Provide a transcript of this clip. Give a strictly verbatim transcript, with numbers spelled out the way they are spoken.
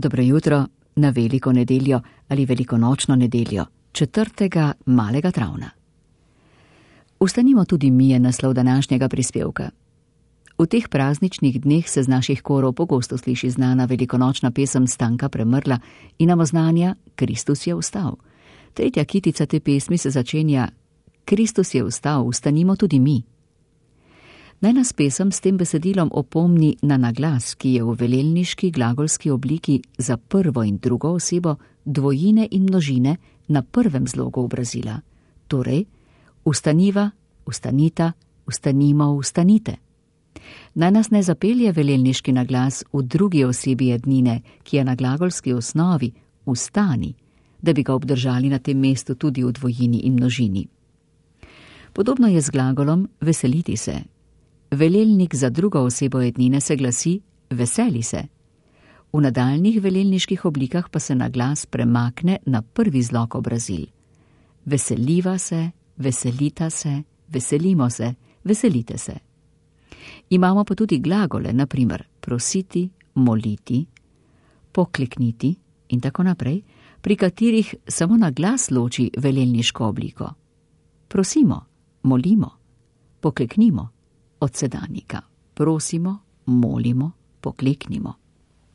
Dobro jutro na veliko nedeljo ali velikonočno nedeljo, četrtega malega travna. Vstanimo tudi mi je naslov današnjega prispevka. V teh prazničnih dneh se z naših korov pogosto sliši znana velikonočna pesem Stanka Premrla in nam oznanja Kristus je vstal. Tretja kitica te pesmi se začenja Kristus je vstal, vstanimo tudi mi. Naj nas pesem s tem besedilom opomni na naglas, ki je v velelniški glagolski obliki za prvo in drugo osebo dvojine in množine na prvem zlogu obrazila. Torej, vstaniva, vstanita, vstanimo, vstanite. Naj nas ne zapelje velelniški naglas v drugi osebi jednine, ki je na glagolski osnovi vstani, da bi ga obdržali na tem mestu tudi v dvojini in množini. Podobno je z glagolom veseliti se. Velelnik za drugo osebo jednine se glasi veseli se. V nadaljnjih velelniških oblikah pa se naglas premakne na prvi zlog obrazil. Veseliva se, veselita se, veselimo se, veselite se. Imamo pa tudi glagole, na primer prositi, moliti, poklekniti in tako naprej, pri katerih samo naglas loči velelniško obliko. Prosimo, molimo, pokleknimo. Od sedanjika prosimo, molimo, pokleknimo.